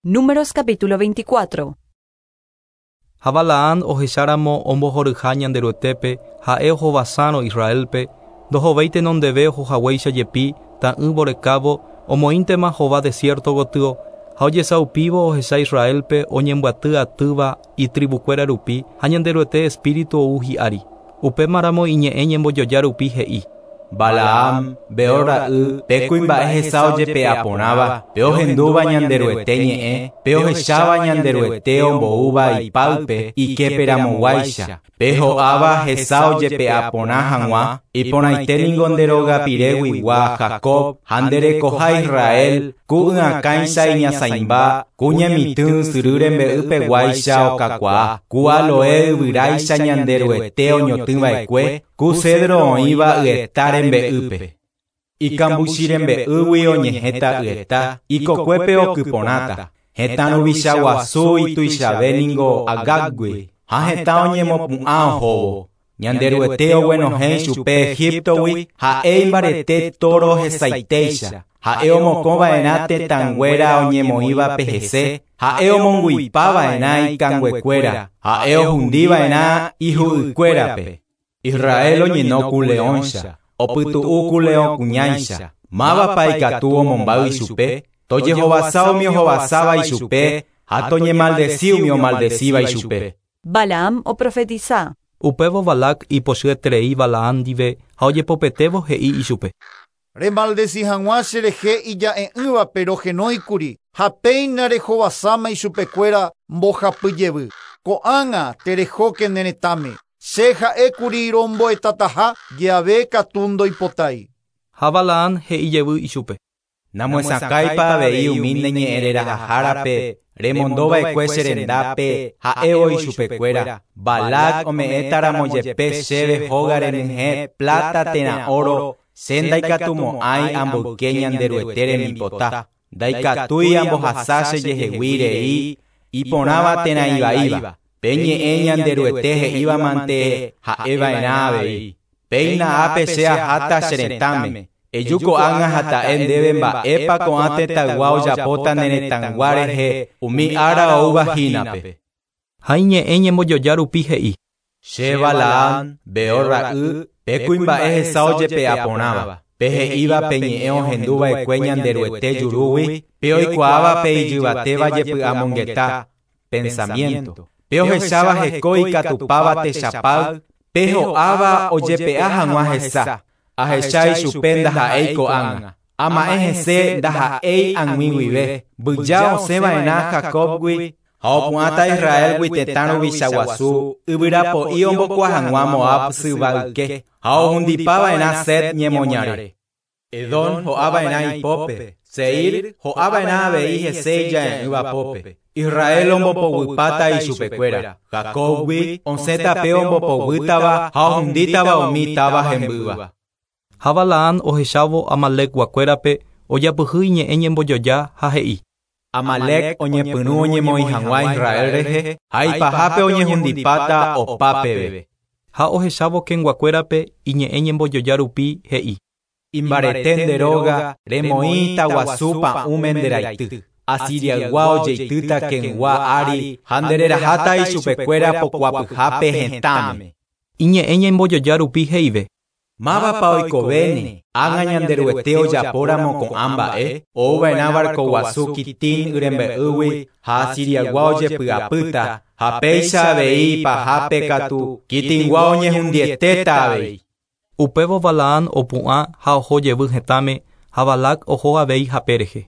Números capítulo 24. Ha Balaam ohecháramo ombohoryha Ñanderuetépe, ha'e ohovasárõ Israélpe, ndohovéi tenondeve ohohaguéicha jepi, ta'ỹ vorekávo, omoĩntema hova desierto gotyo, ha ojesaupívo ohecha Israélpe oñembyaty atýva itribukuéra rupi ha Ñanderuete espíritu ou hi'ári. Upémaramo iñe'ẽ ñembojoja rupi he'i. Balaam, Beor ra'y, pe kuimba'e hesa ojepe'a porãva, pe ohendúva Ñanderuete ñe'ẽ, pe ohecháva Ñanderuete omboúva ipáype iképeramoguáicha, pe ho'áva hesa ojepe'a porã hag̃ua, iporãite ningo nde rogapireguigua Jacob ha nde rekoha Israel, ku y'akãicha iñasãimba, ku ñemitỹ ysyry rembe'ypeguáicha okakuaa, ku aloe yvyráicha Ñanderuete oñotỹva'ekue, ku cedro oĩva yeta rembe'ýpe. Ikambuchi rembe'ýgui oñehẽta yeta, ikokuépe okyporãta. Hetã ruvicha guasu ituichave ningo Agágui, ha hetã oñemopu'ã ohóvo. Ñanderuete oguenohẽ chupe Egiptogui, ha'e imbarete tóro hesaitéicha. Ha'e omokõva'erã tetãnguéra oñemoĩvape hese, ha'e omongu'ipava'erã ikanguekuéra, ha'e ohundiva'erã ihu'ykuérape. Israel oñeno ku leõicha, opytu'u ku leõ kuñáicha. Mávapa ikatu omombáy ichupe, tojehovasa umi ohovasáva ichupe ha toñemaldeci umi omaldecíva ichupe. Balaam oprofetiza. Upévo Balac ipochyeterei Balaam ndive ha ojepopetévo he'i ichupe. Remaldeci hag̃ua cherehe ija'e'ỹvape rohenóikuri ha péina rehovasáma ichupekuéra mbohapyjevy. Ko'ág̃a terehóke ne retãme. Che ha'ékuri rombo'etataha jeave katu ndoipotái. Ha Balaam he'ijevy ichupe. Namoesakãipa avei umi ne ñe'ẽrerahahárape remondova'ekue che rendápe ha'évo ichupekuéra. Balac ome'ẽtaramo jepe chéve hóga renyhẽ plata térã oro, che ndaikatumo'ãi amboyke Ñanderuete rembipota. Ndaikatúi ambohasa chejehegui rei iporãva térã ivaíva. Pe ñe'ẽ Ñanderuete he'ívamante ha'eva'erã avei. Péina ápe che aháta che retãme. Eju ko'ág̃a ha ta'e ndéve mba'épa ko'ã tetãygua ojapóta ne retãygua rehe umi ára oúva hínape. Ha iñe'ẽ ñembojoja rupi he'i. Che Balaam, Beor ra'y, pe kuimba'e hesa ojepe'a porãva, pe he'íva pe ñe'ẽ ohenduva'ekue Ñanderuete jurúgui, pe oikuaáva pe ijyvatéva jepy'amongeta, pensamiento, pe ohecháva heko ikatupáva techapáy, pe ho'áva ojepe'a hag̃ua hesa, ahecha ichupe ndaha'éi ko'ág̃a. Ama'ẽ hese ndaha'éi ag̃ui guive, mbyja osẽva'erã Jacobgui ha opu'ãta Israelgui tetã ruvicha guasu, yvyrapo'i ombokua hag̃ua Moab syvayke, ha ohundipava'erã Set ñemoñare. Edom ho'ava'erã ipópe, Seir ho'ava'erã avei hese ija'e'ỹva pópe. Israel ombopoguýpata ichupekuéra. Jacobgui osẽta pe ombopoguýtava ha ohundítava umi táva hembýva. Ha Balaam ohechávo Amalekguakuérape ojapyhy iñe'ẽ ñembojoja ha he'i. Amalek oñepyrũ oñemoĩ hag̃ua Israel rehe ha ipahápe oñehundipáta opa peve. Ha ohechávo Kenguakuérape iñe'ẽ ñembojoja rupi he'i. Imbarete nde róga remoĩ taguasu pa'ũme nde raity. Asiriaygua ojeitýta Kengua ári ha ndereraháta ichupekuéra pokuapyhápe hetãme. Iñe'ẽ ñembojoja rupi he'ive. Mávapa oikovéne, ág̃a Ñanderuete ojapóramo ko'ã mba'e, ouva'erã barco guasu Kitim yrembe'ýgui ha Asiriaygua ojepy'apýta, ha péicha avei ipahápe katu Kitimgua oñehundietéta avei. Upévo Balaam opu'ã ha oho jevy hetãme ha Balac oho avei hape rehe.